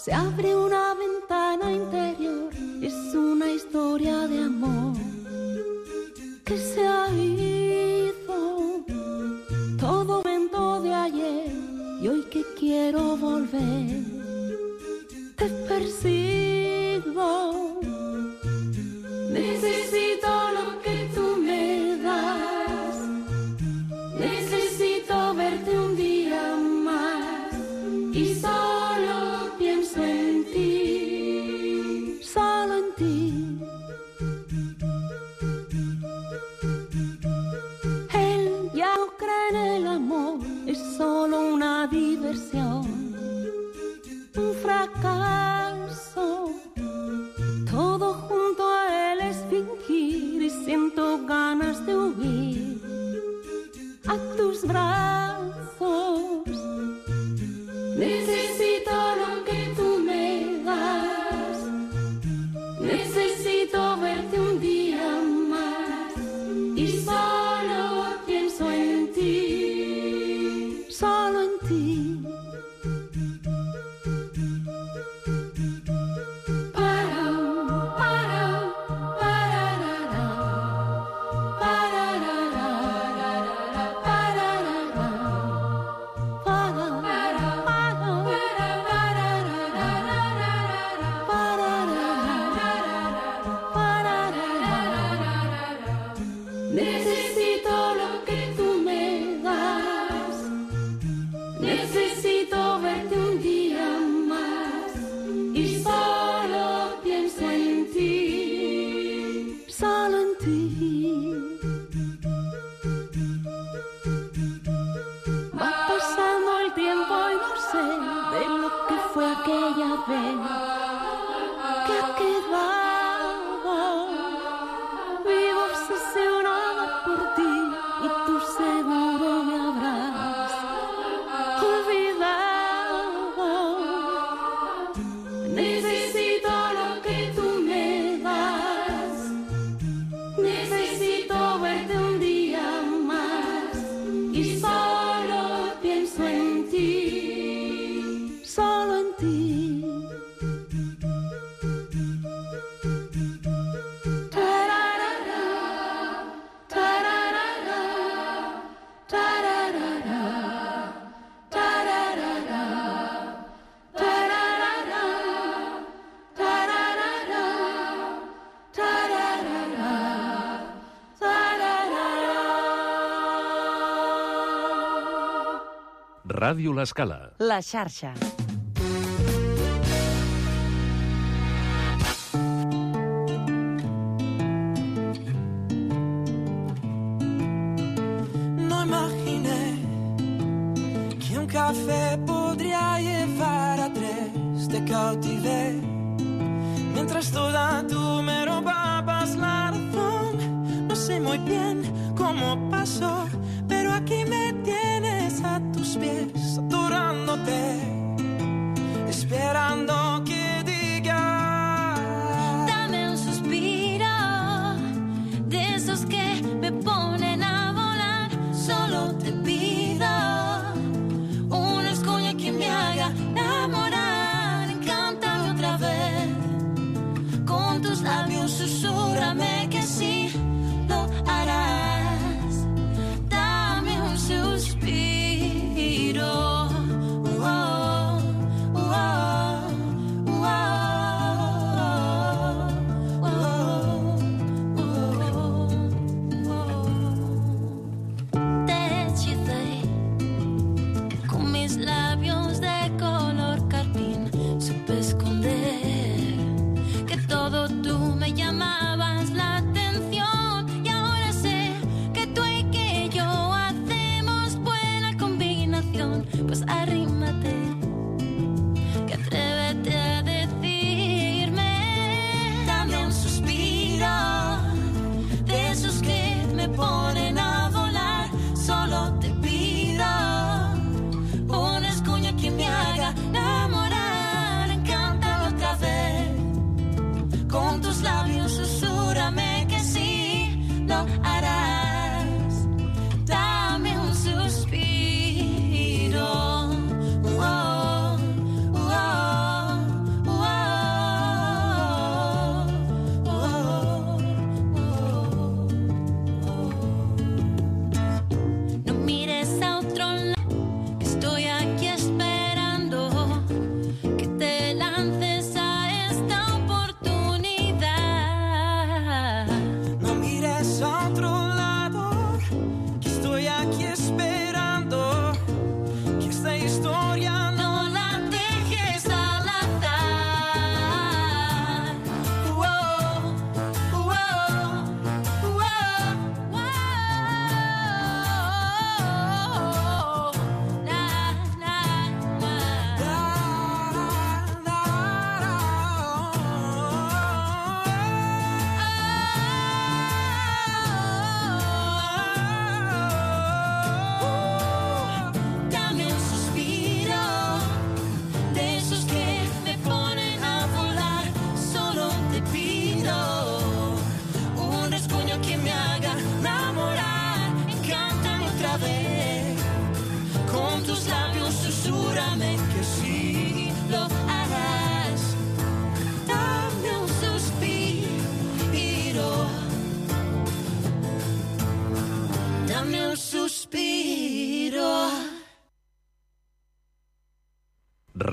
Se abre una ventana interior, es una historia de amor que se ha ido. Todo momento de ayer y hoy que quiero volver, te persigo. Necesito lo que tú me das. Necesito verte un día más y solo pienso en ti, solo en ti. Él ya no cree en el amor, es solo una diversión, un fracaso. Todo junto a él es fingir y siento ganas de huir a tus brazos. Necesito lo que tú me das. Necesito verte un día más y solo pienso en ti, solo en ti. Necesito lo que tú me das. Necesito verte un día más y solo pienso en ti, solo en ti. Va pasando el tiempo y no sé de lo que fue aquella vez que ha quedado. Vivo obsesionada por ti y tú seguro me habrás olvidado. Necesito lo que tú me das. Necesito verte un día más y solo pienso en ti, solo en ti. Ràdio L'Escala. La xarxa. No imaginé que un café podría llevar a tres. Te cautivé mientras toda tú me robabas la razón. No sé muy bien cómo pasó, pero aquí me tienes a tus pies, adorándote, esperando que digas. Dame un suspiro de esos que me ponen a volar. Solo te pido una escuela que me haga enamorar. Encántame otra vez, con tus labios susúrrame que sí lo harás. Dame un suspiro. Te hechicé con mis labios de color carmín. Supe esconder que todo tú me llamabas la atención. Y ahora sé que tú y que yo hacemos buena combinación. Pues arrímate, que atrévete a decirme. Dame un suspiro de esos que me ponen a volar. Solo te pido una escuña que me haga enamorar. Encántame otra vez, con tus labios susúrrame que sí lo harás. Dame un suspiro.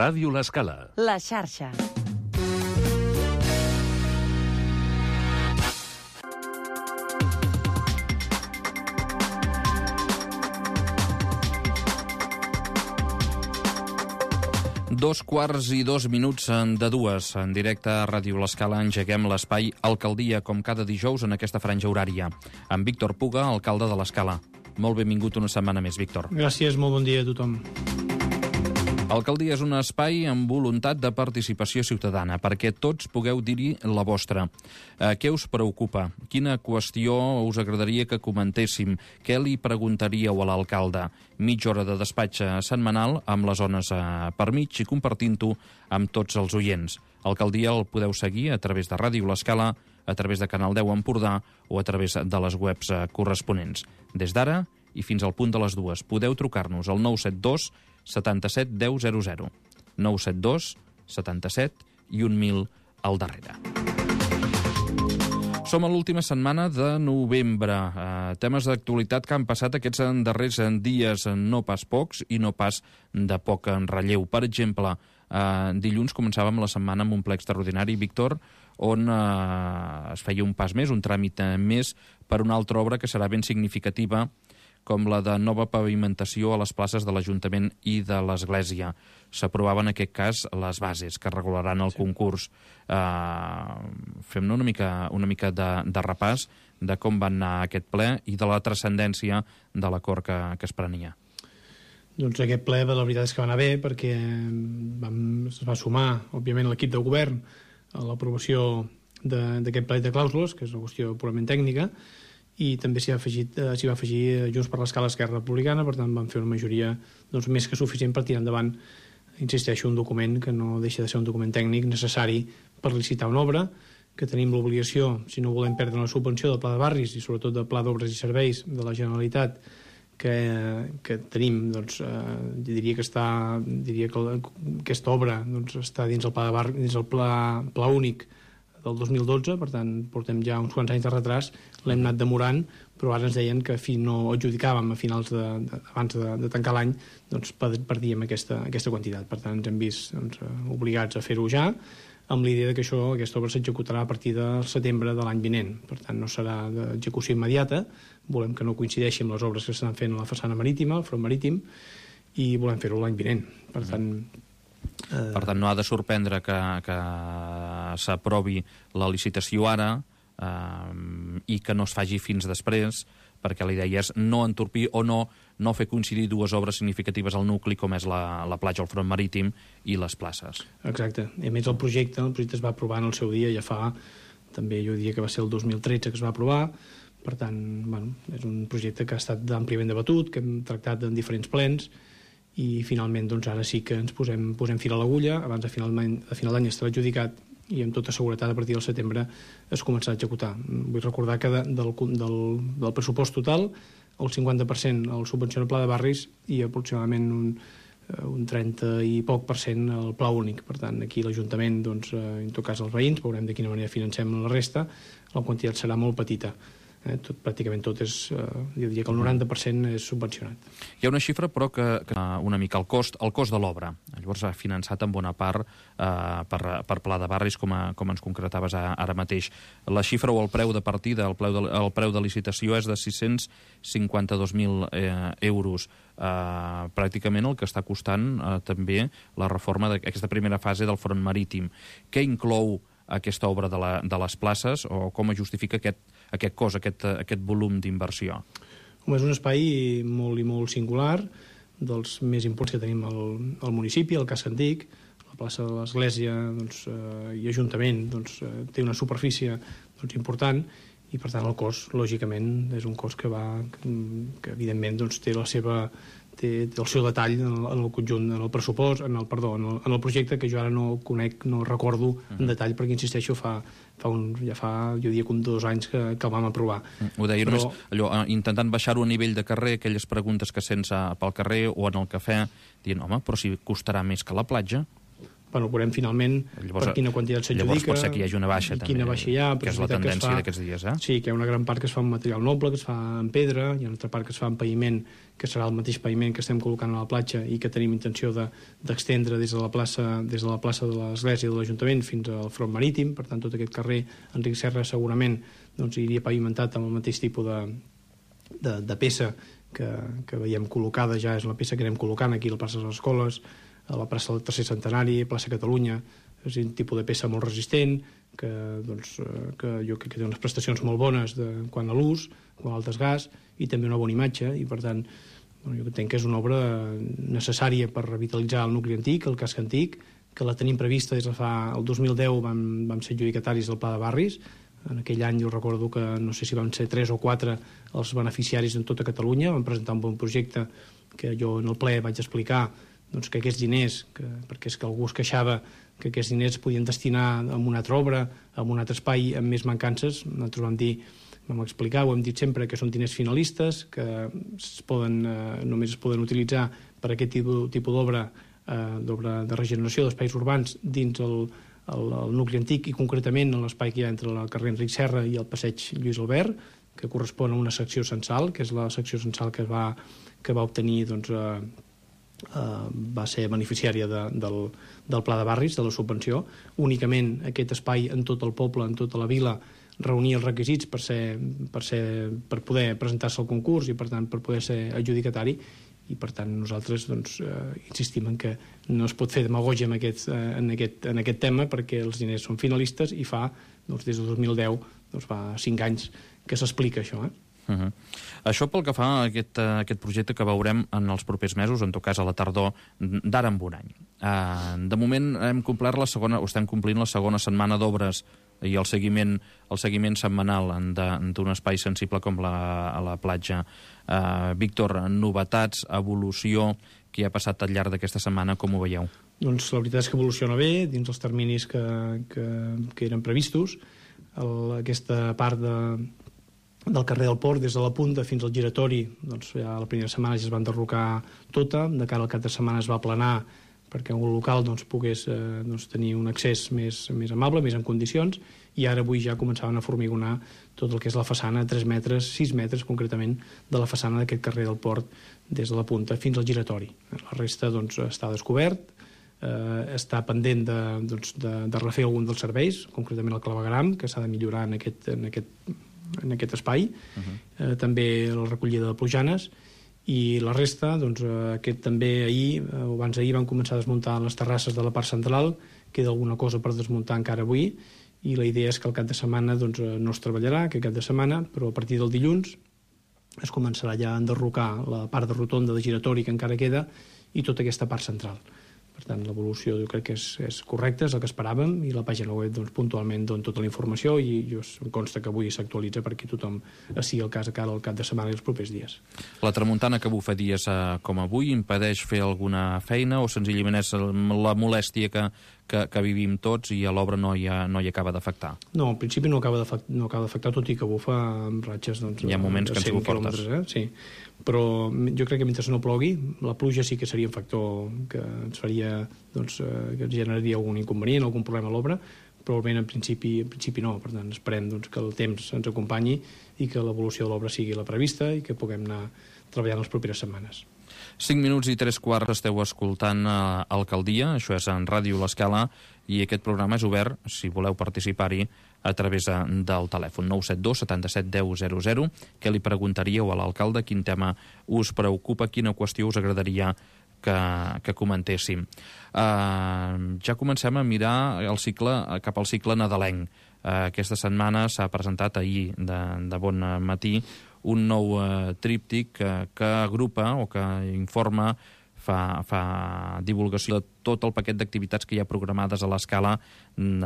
Ràdio L'Escala. La xarxa. Dos quarts i 2 minuts de dues. En directe a Ràdio L'Escala engeguem l'espai Alcaldia, com cada dijous en aquesta franja horària. Amb Víctor Puga, alcalde de l'Escala. Molt benvingut una setmana més, Víctor. Gràcies, molt bon dia a tothom. Alcaldia és un espai amb voluntat de participació ciutadana, perquè tots pugueu dir-hi la vostra. Què us preocupa? Quina qüestió us agradaria que comentéssim? Què li preguntaríeu a l'alcalde? Mitja hora de despatx setmanal amb les zones per mig i compartint-ho amb tots els oients. Alcaldia el podeu seguir a través de Ràdio L'Escala, a través de Canal 10 Empordà o a través de les webs corresponents. Des d'ara i fins al punt de les 2 podeu trucar-nos al 972 77 10 00. 972 77 i 1000 al darrere. Som a l'última setmana de novembre. Temes d'actualitat que han passat aquests darrers dies, no pas pocs i no pas de poc en relleu. Per exemple, dilluns començàvem la setmana amb un ple extraordinari, Víctor, on es feia un pas més, un tràmit més per una altra obra que serà ben significativa, com la de nova pavimentació a les places de l'Ajuntament i de l'Església. S'aprovaven en aquest cas les bases que regularan el concurs. Fem-ne una mica de repàs de com va anar aquest ple i de la transcendència de l'acord que es prenia. Doncs aquest ple, la veritat és que va anar bé, perquè es va sumar, òbviament, l'equip de govern a l'aprovació d'aquest ple de clàusules, que és una qüestió purament tècnica, i també s'hi va afegir Junts per l'Escala, Esquerra Republicana. Per tant, van fer una majoria més que suficient per tirar endavant, insisteixo, un document que no deixa de ser un document tècnic necessari per licitar una obra, que tenim l'obligació, si no volem perdre la subvenció del Pla de Barris i sobretot del Pla d'Obres i Serveis de la Generalitat, que tenim, diria que aquesta obra està dins el Pla de Barris, dins el Pla Únic del 2012, per tant, portem ja uns quants anys de retras, l'hem anat demorant, però ara ens deien que no adjudicàvem a finals abans de tancar l'any, perdíem aquesta quantitat. Per tant, ens hem vist obligats a fer-ho ja, amb l'idea que aquesta obra s'executarà a partir del setembre de l'any vinent. Per tant, no serà d'execució immediata, volem que no coincideixi amb les obres que s'estan fent a la façana marítima, al front marítim, i volem fer-ho l'any vinent. Per tant, no ha de sorprendre que s'aprovi la licitació ara i que no es faci fins després, perquè la idea és no entorpir o no fer coincidir dues obres significatives al nucli, com és la platja, el front marítim i les places. Exacte. A més, el projecte es va aprovar en el seu dia, ja fa, també jo diria que va ser el 2013 que es va aprovar. Per tant, és un projecte que ha estat àmpliament debatut, que hem tractat en diferents plens, i finalment ara sí que ens posem fil a l'agulla. Abans de final d'any estarà adjudicat i amb tota seguretat a partir del setembre es començarà a executar. Vull recordar que del pressupost total el 50% el subvenciona el Pla de Barris i aproximadament un 30 i poc % el Pla Únic. Per tant, aquí l'Ajuntament, en tot cas els veïns, veurem de quina manera financem la resta, la quantitat serà molt petita. Pràcticament tot és, jo diria que el 90% és subvencionat. Hi ha una xifra, però, que una mica el cost de l'obra. Llavors ha finançat en bona part per Pla de Barris, com ens concretaves ara mateix. La xifra o el preu de partida, el preu de licitació és de 652.000 euros. Pràcticament el que està costant també la reforma d'aquesta primera fase del front marítim. Què inclou aquesta obra de les places, o com es justifica aquest cost, aquest volum d'inversió? És un espai molt singular, dels més importants que tenim al municipi, al casc antic. La plaça de l'Església i Ajuntament té una superfície important, i per tant el cost, lògicament, és un cost que evidentment té el seu detall en el conjunt, en el pressupost, en el projecte, que jo ara no conec, no recordo en detall, perquè insisteixo, ja fa jo diria com 2 anys que el vam aprovar. Ho deia només intentant baixar-ho a nivell de carrer, aquelles preguntes que sents pel carrer o en el cafè, dient, home, però si costarà més que la platja. veurem finalment per quina quantitat s'adjudica. Llavors pot ser que hi hagi una baixa, també, quina baixa hi ha, que és la tendència d'aquests dies, Sí, que hi ha una gran part que es fa en material noble, que es fa en pedra, hi ha una altra part que es fa en paviment, que serà el mateix paviment que estem col·locant a la platja i que tenim intenció d'extendre des de la plaça de l'Església de l'Ajuntament fins al front marítim. Per tant, tot aquest carrer Enric Serra segurament iria pavimentat amb el mateix tipus de peça que veiem col·locada, ja és la peça que anem col·locant aquí a la plaça de les Escoles, a la plaça del Tercer Centenari, plaça Catalunya. És un tipus de peça molt resistent, que jo crec que té unes prestacions molt bones quant a l'ús, quant al desgast, i també una bona imatge, i per tant jo entenc que és una obra necessària per revitalitzar el nucli antic, el casc antic, que la tenim prevista des de fa... El 2010 vam ser adjudicataris del Pla de Barris. En aquell any jo recordo que no sé si van ser 3 o 4 els beneficiaris en tota Catalunya. Vam presentar un bon projecte que jo en el ple vaig explicar que aquests diners, perquè és que algú es queixava que aquests diners es podien destinar a una altra obra, a un altre espai amb més mancances, nosaltres vam explicar, ho hem dit sempre, que són diners finalistes, que només es poden utilitzar per aquest tipus d'obra de regeneració d'espais urbans dins el nucli antic i concretament en l'espai que hi ha entre el carrer Enric Serra i el passeig Lluís Albert, que correspon a una secció censal, que és la secció censal que va obtenir va ser beneficiària del Pla de Barris, de la subvenció. Únicament aquest espai en tot el poble, en tota la vila, reunia els requisits per poder presentar-se al concurs i per tant per poder ser adjudicatari, i per tant nosaltres insistim en que no es pot fer demagògia en aquest tema, perquè els diners són finalistes i fa des del 2010 fa 5 anys que s'explica això. Això pel que fa a aquest projecte que veurem en els propers mesos, en tot cas a la tardor d'ara en un any. De moment hem complert estem complint la segona setmana d'obres i el seguiment setmanal d'un espai sensible com la platja. Víctor, novetats, evolució, què ha passat al llarg d'aquesta setmana, com ho veieu? Doncs la veritat és que evoluciona bé, dins els terminis que eren previstos. Aquesta part del carrer del Port, des de la punta fins al giratori, ja la primera setmana ja es va enderrocar tota, de cara al cap de setmana es va aplanar perquè un local pogués tenir un accés més amable, més en condicions, i ara avui ja començaven a formigonar tot el que és la façana, 3 metres, 6 metres concretament, de la façana d'aquest carrer del Port, des de la punta fins al giratori. La resta està descobert, està pendent de refer algun dels serveis, concretament el clavegueram, que s'ha de millorar en aquest espai, també la recollida de plujanes, i la resta, també abans d'ahir van començar a desmuntar les terrasses de la part central, queda alguna cosa per desmuntar encara avui, i la idea és que el cap de setmana no es treballarà, aquest cap de setmana, però a partir del dilluns es començarà ja a enderrocar la part de rotonda de giratori que encara queda i tota aquesta part central. Per tant, l'evolució jo crec que és correcta, és el que esperàvem, i la pàgina web puntualment dona tota la informació i em consta que avui s'actualitza perquè tothom sigui el cas a cara al cap de setmana i els propers dies. La tramuntana que bufa dies com avui impedeix fer alguna feina o senzillament és la molèstia que vivim tots i a l'obra no hi acaba d'afectar? No, en principi no acaba d'afectar, tot i que bufa amb ratxes hi ha moments que han sigut fortes. Sí, però jo crec que mentre no plogui, la pluja sí que seria un factor que ens faria, que ens generaria algun inconvenient, algun problema a l'obra, però el vent en principi no. Per tant, esperem que el temps ens acompanyi i que l'evolució de l'obra sigui la prevista i que puguem anar treballant les properes setmanes. 5 minuts i 3/4 esteu escoltant Alcaldia, això és en Ràdio L'Escala, i aquest programa és obert, si voleu participar-hi, a través del telèfon 972 77 10 00. Què li preguntaríeu a l'alcalde? Quin tema us preocupa? Quina qüestió us agradaria que comentéssim? Ja comencem a mirar cap al cicle nadalenc. Aquesta setmana s'ha presentat ahir de bon matí un nou tríptic que agrupa o que informa, fa divulgació de tot el paquet d'activitats que hi ha programades a l'Escala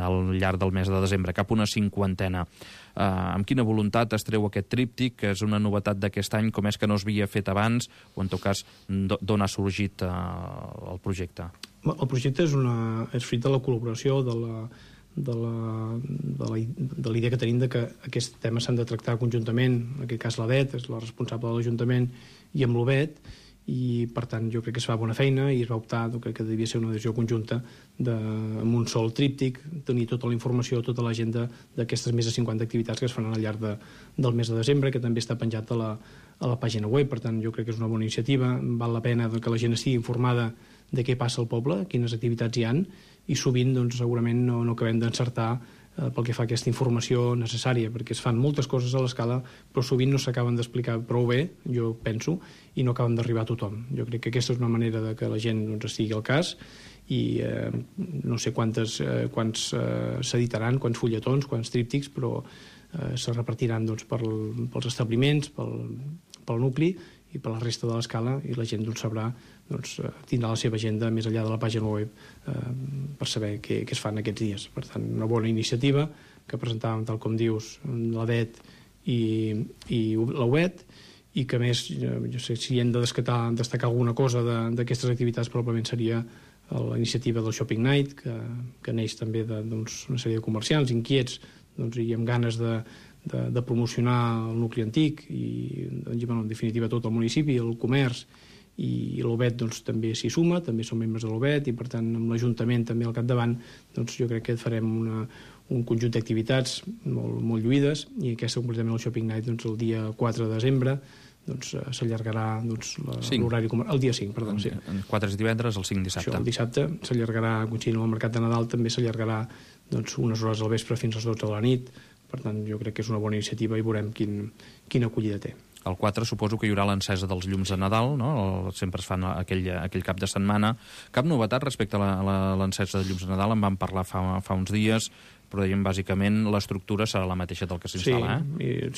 al llarg del mes de desembre, cap una 50. Amb quina voluntat es treu aquest tríptic, que és una novetat d'aquest any, com és que no es havia fet abans, o en tot cas d'on ha sorgit el projecte? El projecte és fruit de la col·laboració de la idea que tenim que aquests temes s'han de tractar conjuntament. En aquest cas l'ADET és la responsable de l'Ajuntament i amb l'OBET, i per tant jo crec que es fa bona feina i es va optar, crec que devia ser una decisió conjunta amb un sol tríptic, tenir tota la informació, tota l'agenda d'aquestes més de 50 activitats que es faran al llarg del mes de desembre, que també està penjat a la pàgina web. Per tant, jo crec que és una bona iniciativa, val la pena que la gent estigui informada de què passa al poble, quines activitats hi han, i sovint doncs, segurament no acabem d'encertar pel que fa a aquesta informació necessària, perquè es fan moltes coses a l'escala, però sovint no s'acaben d'explicar prou bé, jo penso, i no acaben d'arribar a tothom. Jo crec que aquesta és una manera de que la gent estigui al cas, i no sé quants s'editaran, quants fulletons, quants tríptics, però se repartiran pels establiments, pel nucli i per la resta de l'escala, i la gent sabrà, tindrà la seva agenda més enllà de la pàgina web per saber què es fan aquests dies. Per tant, una bona iniciativa que presentàvem, tal com dius, la DET i la UET, i que a més, jo sé, si hem de destacar alguna cosa d'aquestes activitats, probablement seria la iniciativa del Shopping Night, que neix també d'una sèrie de comerciants inquiets i amb ganes de promocionar el nucli antic i, en definitiva, tot el municipi, el comerç, i l'OBET també s'hi suma, també som membres de l'OBET, i per tant amb l'Ajuntament també al capdavant, jo crec que farem un conjunt d'activitats molt lluïdes, i aquesta concretament el Shopping Night el dia 4 de desembre s'allargarà l'horari el dia 5, perdó. El 4 és divendres, el 5 dissabte. Això, el dissabte s'allargarà, coincidint amb el Mercat de Nadal, també s'allargarà unes hores al vespre fins a les 12 de la nit. Per tant, jo crec que és una bona iniciativa i veurem quina acollida té. El 4 suposo que hi haurà l'encesa dels llums de Nadal, no? Sempre es fan aquell cap de setmana. Cap novetat respecte a l'encesa de llums de Nadal? En vam parlar fa uns dies, però dèiem bàsicament l'estructura serà la mateixa del que s'instal·la,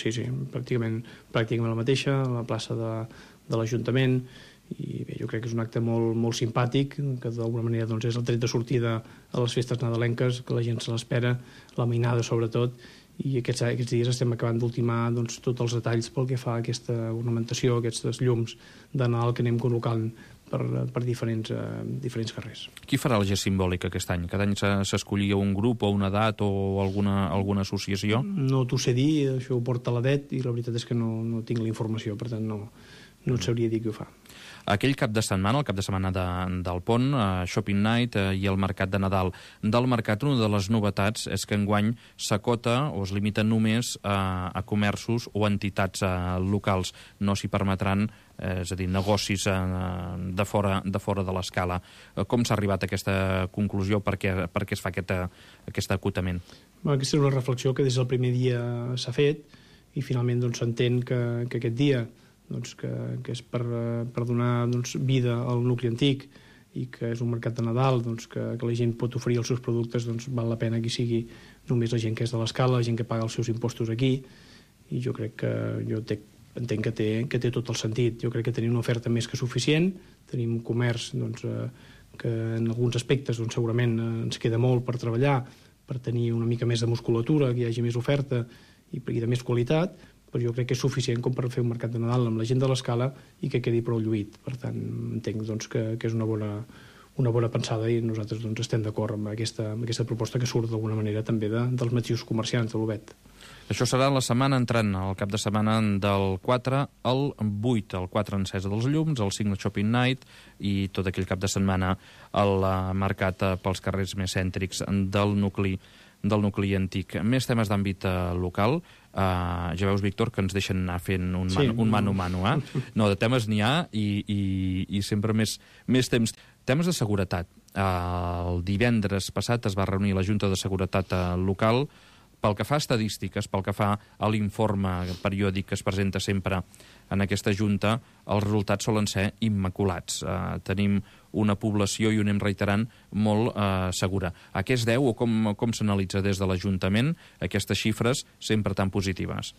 Sí, pràcticament la mateixa, a la plaça de l'Ajuntament, i bé, jo crec que és un acte molt simpàtic, que d'alguna manera és el tret de sortida a les festes nadalenques, que la gent se l'espera, la mainada sobretot, i aquests dies estem acabant d'ultimar tots els detalls pel que fa a aquesta ornamentació, aquests llums de Nadal que anem col·locant per diferents carrers. Qui farà el gest simbòlic aquest any? Cada any s'escollia un grup o una edat o alguna associació? No t'ho sé dir, això ho porta la DET i la veritat és que no tinc la informació, per tant no et sabria dir qui ho fa. Aquell cap de setmana, el cap de setmana del Pont, Shopping Night i el Mercat de Nadal. Del Mercat, una de les novetats és que enguany s'acota o es limita només a comerços o entitats locals. No s'hi permetran, és a dir, negocis de fora de l'escala. Com s'ha arribat a aquesta conclusió? Per què es fa aquest acotament? Aquesta és una reflexió que des del primer dia s'ha fet i finalment s'entén que aquest dia que és per donar vida al nucli antic i que és un mercat de Nadal que la gent pot oferir els seus productes, val la pena que sigui només la gent que és de l'escala, la gent que paga els seus impostos aquí, i jo crec que entenc que té tot el sentit. Jo crec que tenim una oferta més que suficient, tenim un comerç que en alguns aspectes segurament ens queda molt per treballar, per tenir una mica més de musculatura, que hi hagi més oferta i de més qualitat, però jo crec que és suficient com per fer un mercat de Nadal amb la gent de l'escala i que quedi prou lluït. Per tant, entenc que és una bona pensada i nosaltres estem d'acord amb aquesta proposta que surt d'alguna manera també dels mateixos comerciants de l'OBET. Això serà la setmana entrant, el cap de setmana del 4 al 8, el 4 encesa dels llums, el 5 Shopping Night i tot aquell cap de setmana el mercat pels carrers més cèntrics del nucli antic. Més temes d'àmbit local. Ja veus, Víctor, que ens deixen anar fent un mano-mano. No, de temes n'hi ha i sempre més temps. Temes de seguretat. El divendres passat es va reunir la Junta de Seguretat Local. Pel que fa a estadístiques, pel que fa a l'informe periòdic que es presenta sempre en aquesta Junta, els resultats solen ser immaculats. Tenim una població, i ho anem reiterant, molt segura. A què es deu o com s'analitza des de l'Ajuntament aquestes xifres sempre tan positives?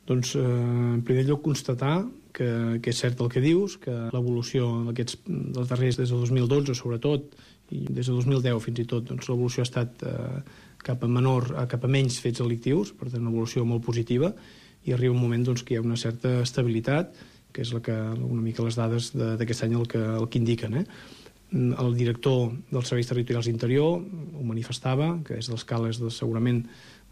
Doncs, en primer lloc, constatar que és cert el que dius, que l'evolució dels darrers, des del 2012 sobretot, i des del 2010 fins i tot, l'evolució ha estat cap a menys fets delictius, per tant una evolució molt positiva, i arriba un moment que hi ha una certa estabilitat, que és una mica les dades d'aquest any el que indiquen. El director dels Serveis Territorials d'Interior ho manifestava, que és d'escala, segurament,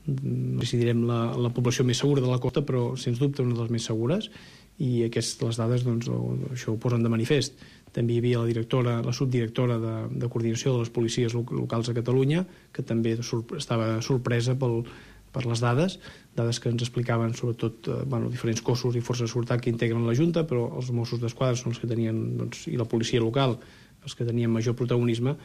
no sé si direm la població més segura de la costa, però sens dubte una de les més segures, i les dades doncs, això ho posen de manifest. També hi havia la subdirectora de coordinació de les policies locals a Catalunya, que també estava sorpresa per les dades que ens explicaven sobretot diferents cossos i forces de seguretat que integren la Junta, però els Mossos d'Esquadra són els que tenien, i la policia local, els que tenien major protagonisme,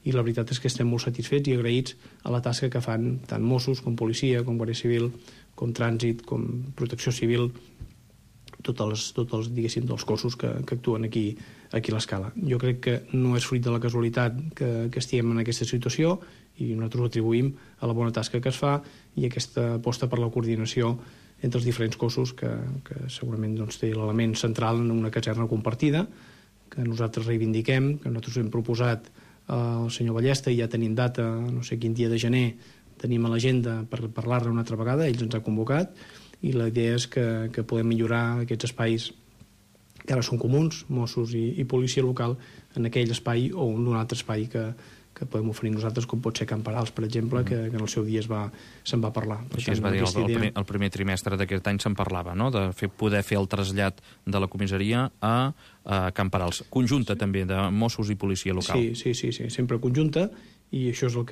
i la veritat és que estem molt satisfets i agraïts a la tasca que fan tant Mossos com policia, com Guàrdia Civil, com Trànsit, com Protecció Civil, tots els cossos que actuen aquí a l'Escala. Jo crec que no és fruit de la casualitat que estiguem en aquesta situació, i nosaltres ho atribuïm a la bona tasca que es fa i aquesta aposta per la coordinació entre els diferents cossos que segurament té l'element central en una caserna compartida, que nosaltres reivindiquem, que nosaltres hem proposat al senyor Ballesta, i ja tenim data, no sé quin dia de gener, tenim a l'agenda per parlar-ne una altra vegada, ells ens ha convocat, i la idea és que podem millorar aquests espais que ara són comuns, Mossos i policia local, en aquell espai o en un altre espai que podem oferir nosaltres, com pot ser Camp Parals, per exemple, que en el seu dia se'n va parlar. Així es va dir, el primer trimestre d'aquest any se'n parlava, no?, de poder fer el trasllat de la comissaria a Camp Parals. Conjunta, també, de Mossos i policia local. Sí, sempre conjunta, i això és el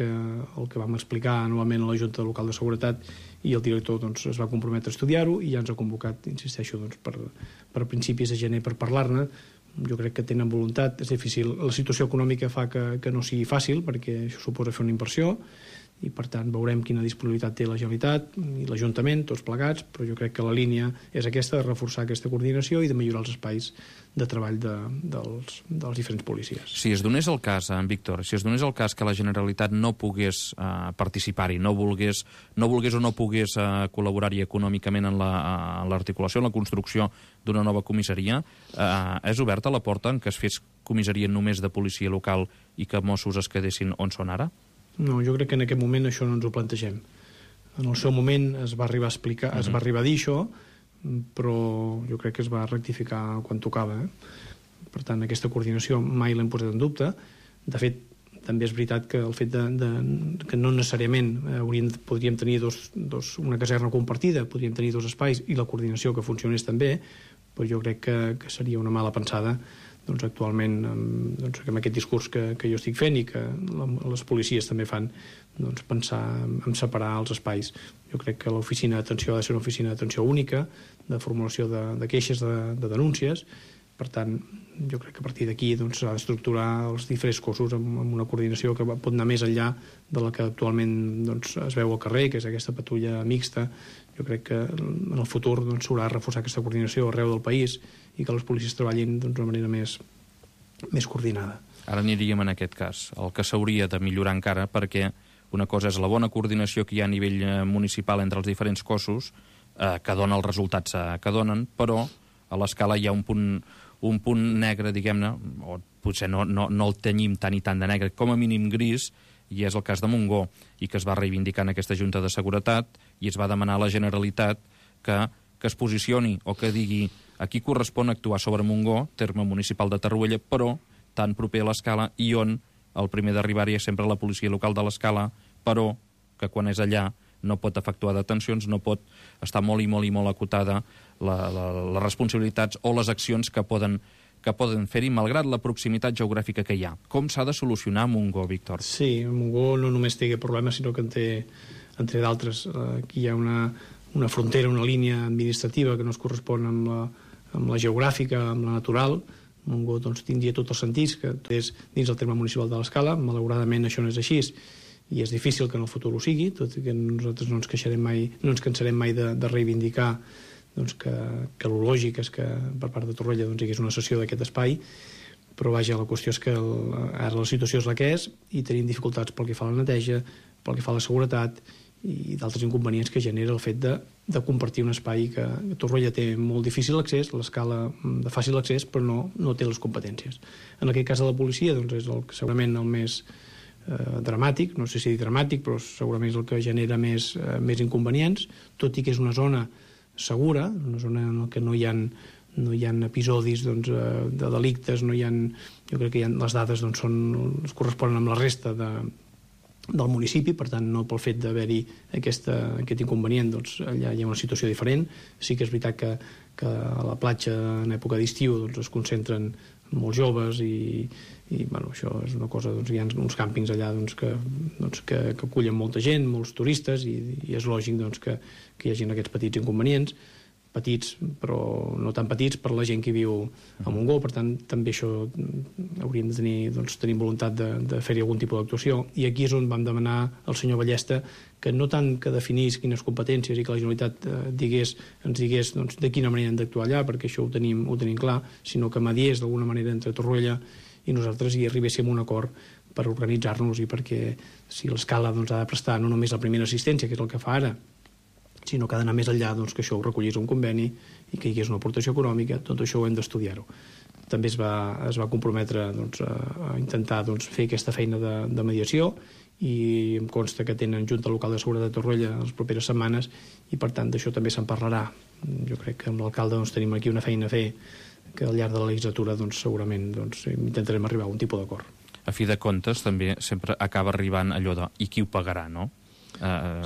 que vam explicar novament a la Junta Local de Seguretat, i el director es va comprometre a estudiar-ho i ja ens ha convocat, insisteixo, per principis de gener per parlar-ne. Jo crec que tenen voluntat, és difícil. La situació econòmica fa que no sigui fàcil, perquè això suposa fer una inversió, i per tant veurem quina disponibilitat té la Generalitat i l'Ajuntament, tots plegats, però jo crec que la línia és aquesta, de reforçar aquesta coordinació i de millorar els espais de treball dels diferents policies. Si es donés el cas, en Víctor, si es donés el cas que la Generalitat no pogués participar-hi, no volgués o no pogués col·laborar-hi econòmicament en l'articulació, en la construcció d'una nova comissaria, és oberta la porta en què es fes comissaria només de policia local i que Mossos es quedessin on són ara? No, jo crec que en aquest moment això no ens ho plantegem. En el seu moment es va arribar a explicar, es va arribar a dir això, però jo crec que es va rectificar quan tocava. Per tant, aquesta coordinació mai l'hem posat en dubte. De fet, també és veritat que el fet que no necessàriament podríem tenir una caserna compartida, podríem tenir dos espais i la coordinació que funcionés també, però jo crec que seria una mala pensada actualment amb aquest discurs que jo estic fent i que les policies també fan, pensar en separar els espais. Jo crec que l'oficina d'atenció ha de ser una oficina d'atenció única, de formulació de queixes, de denúncies. Per tant, jo crec que a partir d'aquí s'ha d'estructurar els diferents cossos amb una coordinació que pot anar més enllà de la que actualment es veu al carrer, que és aquesta patrulla mixta. Jo crec que en el futur s'haurà de reforçar aquesta coordinació arreu del país i que les policies treballin d'una manera més coordinada. Ara aniríem en aquest cas. El que s'hauria de millorar encara, perquè una cosa és la bona coordinació que hi ha a nivell municipal entre els diferents cossos, que dona els resultats que donen, però a l'escala hi ha un punt negre, diguem-ne, o potser no el tenyim tant i tant de negre, com a mínim gris, i és el cas de Montgó, i que es va reivindicar en aquesta Junta de Seguretat, i es va demanar a la Generalitat que es posicioni o que digui a qui correspon actuar sobre Montgó, terme municipal de Torroella, però tan proper a l'escala, i on el primer d'arribar-hi és sempre la policia local de l'escala, però que quan és allà no pot efectuar detencions, no pot estar molt acotada les responsabilitats o les accions que poden fer-hi, malgrat la proximitat geogràfica que hi ha. Com s'ha de solucionar Montgó, Víctor? Sí, Montgó no només té aquest problema, sinó que en té d'altres. Aquí hi ha una frontera, una línia administrativa que no es correspon amb la geogràfica, amb la natural. Montgó tindria tots els sentits, que és dins el terme municipal de l'Escala. Malauradament això no és així, i és difícil que en el futur ho sigui, tot i que nosaltres no ens cansarem mai de reivindicar que el lògic és que per part de Torroella hi hagués una cessió d'aquest espai, però vaja, la qüestió és que ara la situació és la que és i tenim dificultats pel que fa a la neteja, pel que fa a la seguretat i d'altres inconvenients que genera el fet de compartir un espai que Torroella té molt difícil accés, l'Escala de fàcil accés, però no té les competències. En aquest cas de la policia és segurament el més dramàtic, no sé si dir dramàtic, però segurament és el que genera més inconvenients, tot i que és una zona segura, una zona en què no hi ha episodis de delictes, jo crec que les dades es corresponen amb la resta del municipi, per tant, no pel fet d'haver-hi aquest inconvenient, allà hi ha una situació diferent. Sí que és veritat que que a la platja en època d'estiu doncs, es concentren molts joves i bueno, això és una cosa, doncs, hi ha uns càmpings allà doncs, que acullen molta gent, molts turistes i és lògic doncs, que hi hagi aquests petits inconvenients, petits però no tan petits per la gent que viu a Montgó, per tant també això hauríem de tenir voluntat de fer-hi algun tipus d'actuació, i aquí és on vam demanar al senyor Ballesta que no tant que definís quines competències i que la Generalitat ens digués doncs, de quina manera hem d'actuar allà, perquè això ho tenim clar, sinó que mediés d'alguna manera entre Torroella i nosaltres i arribéssim a un acord per organitzar-nos i perquè si l'escala doncs, ha de prestar no només la primera assistència, que és el que fa ara, sinó que ha d'anar més enllà, doncs, que això ho recollís un conveni i que hi hagués una aportació econòmica, tot això ho hem d'estudiar-ho. També es va comprometre doncs, a intentar doncs, fer aquesta feina de mediació i em consta que tenen Junta Local de Seguretat de Torroella les properes setmanes i per tant d'això també se'n parlarà. Jo crec que amb l'alcalde doncs, tenim aquí una feina a fer que al llarg de la legislatura doncs, segurament doncs, intentarem arribar a un tipus d'acord. A fi de comptes també sempre acaba arribant allò de i qui ho pagarà, no?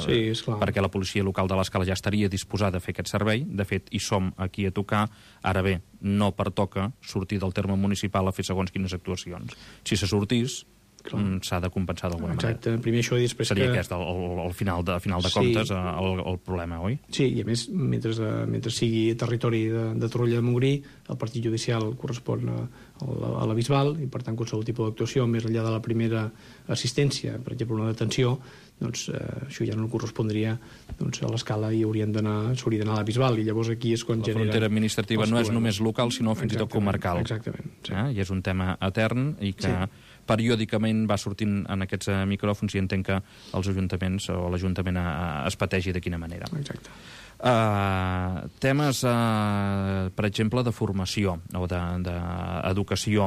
Sí, esclar. Perquè la policia local de l'Escala ja estaria disposada a fer aquest servei, de fet hi som aquí a tocar, ara bé, no pertoca sortir del terme municipal a fer segons quines actuacions. Si se sortís, s'ha de compensar d'alguna manera. Exacte, primer això i després seria aquest el final de comptes el problema, oi? Sí, i a més, mentre sigui territori de Torroella de Montgrí, el partit judicial correspon a la Bisbal i per tant qualsevol tipus d'actuació més enllà de la primera assistència, per exemple una detenció, doncs això ja no correspondria doncs, a l'escala i s'hauria d'anar a la Bisbal i llavors aquí és quan la genera... La frontera administrativa no és només local sinó fins i tot comarcal. Exactament. Sí. I és un tema etern i que periòdicament va sortint en aquests micròfons i entenc que els ajuntaments o l'Ajuntament es pategi de quina manera. Exacte. Temes, per exemple, de formació o d'educació.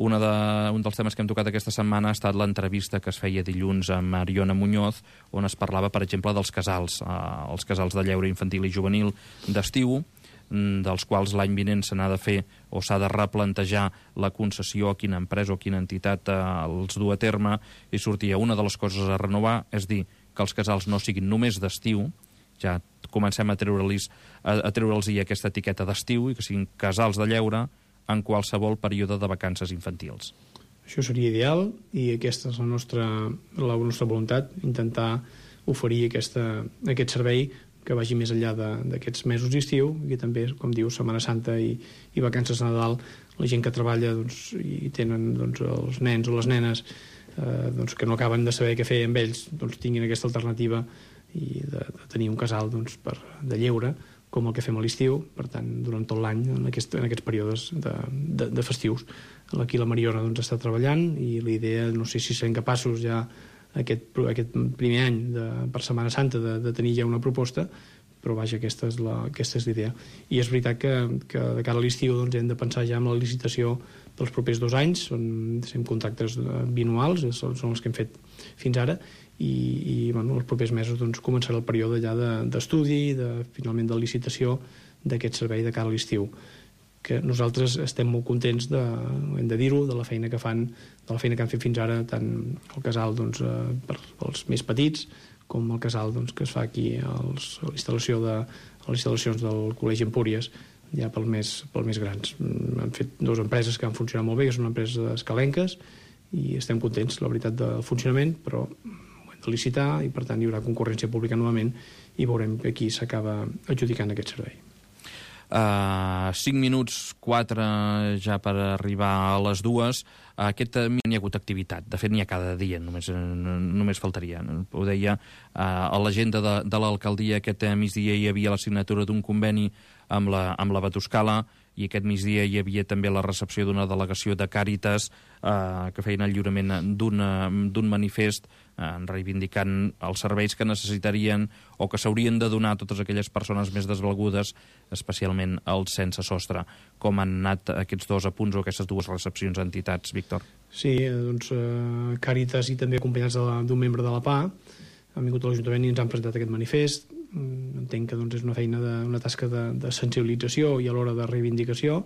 Un dels temes que hem tocat aquesta setmana ha estat l'entrevista que es feia dilluns amb Mariona Muñoz, on es parlava, per exemple, dels casals, els casals de lleure infantil i juvenil d'estiu, dels quals l'any vinent se n'ha de fer o s'ha de replantejar la concessió a quina empresa o quina entitat els du a terme, i sortia una de les coses a renovar, és dir, que els casals no siguin només d'estiu, ja comencem a treure'ls aquesta etiqueta d'estiu i que siguin casals de lleure en qualsevol període de vacances infantils. Això seria ideal i aquesta és la nostra voluntat, intentar oferir aquest servei que vagi més enllà d'aquests mesos d'estiu i que també, com diu, Setmana Santa i vacances de Nadal, la gent que treballa doncs, i tenen doncs, els nens o les nenes doncs, que no acaben de saber què fer amb ells, doncs, tinguin aquesta alternativa i de tenir un casal doncs, de lleure com el que fem a l'estiu, per tant, durant tot l'any en aquests períodes de festius. Aquí la Mariona doncs, està treballant i la idea, no sé si serem capaços ja aquest primer any per Setmana Santa de tenir ja una proposta, però vaja, aquesta és l'idea. I és veritat que de cara a l'estiu doncs, hem de pensar ja en la licitació dels propers 2 anys, són contractes bianuals, són els que hem fet fins ara, i bueno, els propers mesos doncs, començarà el període ja d'estudi, finalment de licitació d'aquest servei de cara a l'estiu, que nosaltres estem molt contents, hem de dir-ho, de la feina que han fet fins ara, tant el casal doncs, per als més petits, com el casal doncs, que es fa aquí a les instal·lacions del Col·legi Empúries, ja pel més grans. Han fet 2 empreses que han funcionat molt bé, que són empreses escalenques, i estem contents, la veritat, del funcionament, però ho hem de licitar i per tant hi haurà concurrència pública novament i veurem que aquí s'acaba adjudicant aquest servei. 5 minuts, 4 ja per arribar a les 2. Aquest n'hi ha hagut activitat. De fet, n'hi ha cada dia, només faltaria. Ho deia, a l'agenda de l'alcaldia aquest migdia hi havia la signatura d'un conveni amb la Batuscala i aquest migdia hi havia també la recepció d'una delegació de Càritas que feien el lliurament d'un manifest reivindicant els serveis que necessitarien o que s'haurien de donar a totes aquelles persones més desvalgudes, especialment els sense sostre. Com han anat aquests 2 apunts o aquestes 2 recepcions a entitats, Víctor? Sí, doncs Càritas i també acompanyats d'un membre de la PA han vingut a l'Ajuntament i ens han presentat aquest manifest. Entenc que doncs, és una feina, una tasca de sensibilització i alhora de reivindicació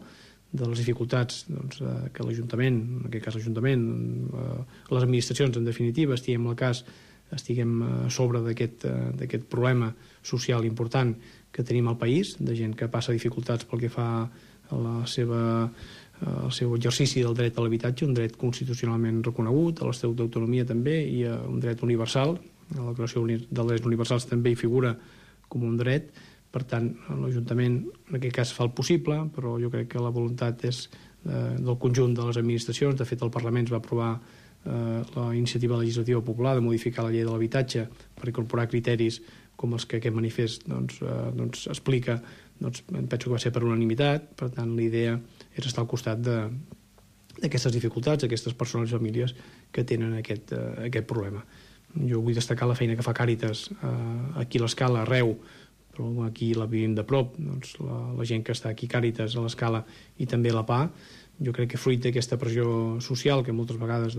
de les dificultats doncs, que l'Ajuntament, en aquest cas l'Ajuntament, les administracions en definitiva, estiguem a sobre d'aquest problema social important que tenim al país, de gent que passa dificultats pel que fa a el seu exercici del dret a l'habitatge, un dret constitucionalment reconegut, a l'Estatut d'Autonomia també, i un dret universal. A la Declaració dels Drets Universals també hi figura com un dret. Per tant, l'Ajuntament en aquest cas fa el possible, però jo crec que la voluntat és del conjunt de les administracions. De fet, el Parlament va aprovar la iniciativa legislativa popular de modificar la llei de l'habitatge per incorporar criteris com els que aquest manifest explica. Penso que va ser per unanimitat. Per tant, l'idea és estar al costat d'aquestes dificultats, d'aquestes persones i famílies que tenen aquest problema. Jo vull destacar la feina que fa Càritas aquí a l'Escala, a Reu, però aquí la vivim de prop, la gent que està aquí Càritas a l'Escala i també a la PA. Jo crec que fruit d'aquesta pressió social que moltes vegades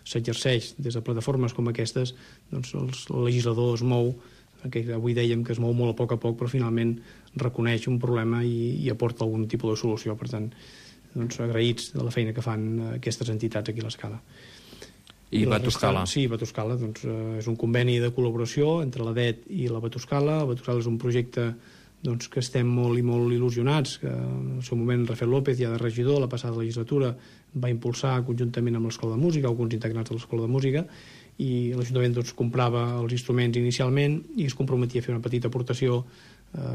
s'exerceix des de plataformes com aquestes, el legislador es mou, que avui dèiem que es mou molt a poc, però finalment reconeix un problema i aporta algun tipus de solució. Per tant, agraïts de la feina que fan aquestes entitats aquí a l'Escala. I Batuscala. Sí, Batuscala és un conveni de col·laboració entre la DET i la Batuscala. La Batuscala és un projecte que estem molt i molt il·lusionats, que en el seu moment Rafael López, ja de regidor, la passada legislatura, va impulsar conjuntament amb l'Escola de Música, alguns integrants de l'Escola de Música, i l'Ajuntament comprava els instruments inicialment i es comprometia a fer una petita aportació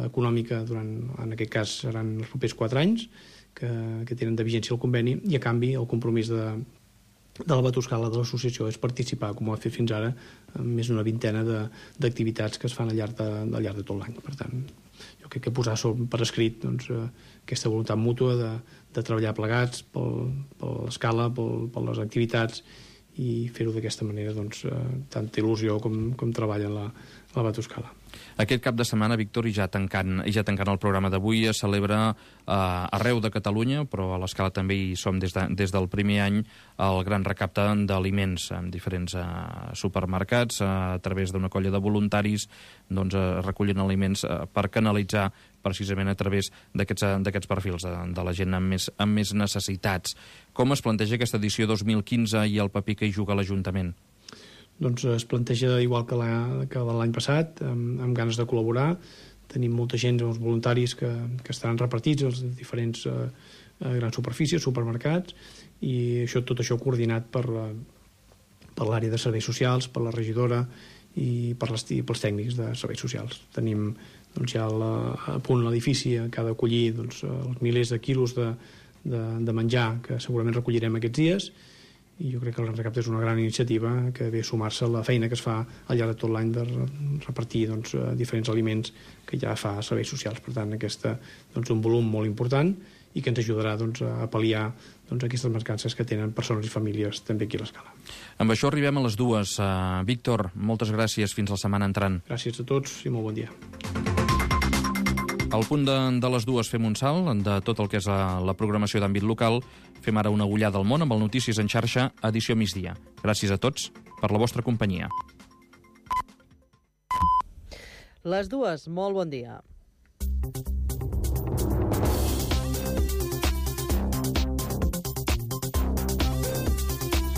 econòmica en aquest cas seran els propers 4 anys que tenen de vigència el conveni, i a canvi el compromís de la Batuscala, de l'associació, és participar, com ho ha fet fins ara, en més d'una vintena d'activitats que es fan al llarg de tot l'any. Per tant, jo crec que posar per escrit aquesta voluntat mútua de treballar plegats per l'escala, per les activitats, i fer-ho d'aquesta manera, tanta il·lusió com treballa la Batuscala. Aquest cap de setmana, Víctor, i ja tancant el programa d'avui, es celebra arreu de Catalunya, però a l'Escala també hi som des del primer any, el gran recapte d'aliments en diferents supermercats. A través d'una colla de voluntaris recullen aliments per canalitzar precisament a través d'aquests perfils de la gent amb més necessitats. Com es planteja aquesta edició 2015 i el paper que hi juga l'Ajuntament? Es planteja igual que l'any passat, amb ganes de col·laborar. Tenim molta gent, uns voluntaris que estaran repartits als diferents grans superfícies, supermercats, i tot això coordinat per l'àrea de serveis socials, per la regidora i pels tècnics de serveis socials. Tenim ja a punt l'edifici que ha d'acollir els milers de quilos de menjar que segurament recollirem aquests dies, i jo crec que el Gran Recapte és una gran iniciativa que ve a sumar-se a la feina que es fa al llarg de tot l'any de repartir diferents aliments que ja fa serveis socials. Per tant, aquest és un volum molt important i que ens ajudarà a pal·liar aquestes mancances que tenen persones i famílies també aquí a l'Escala. Amb això arribem a les 2. Víctor, moltes gràcies. Fins la setmana entrant. Gràcies a tots i molt bon dia. Al punt de les 2 fem un salt de tot el que és la programació d'àmbit local. Fem ara una ullada al món amb el Notícies en xarxa, edició migdia. Gràcies a tots per la vostra companyia. Les 2, molt bon dia.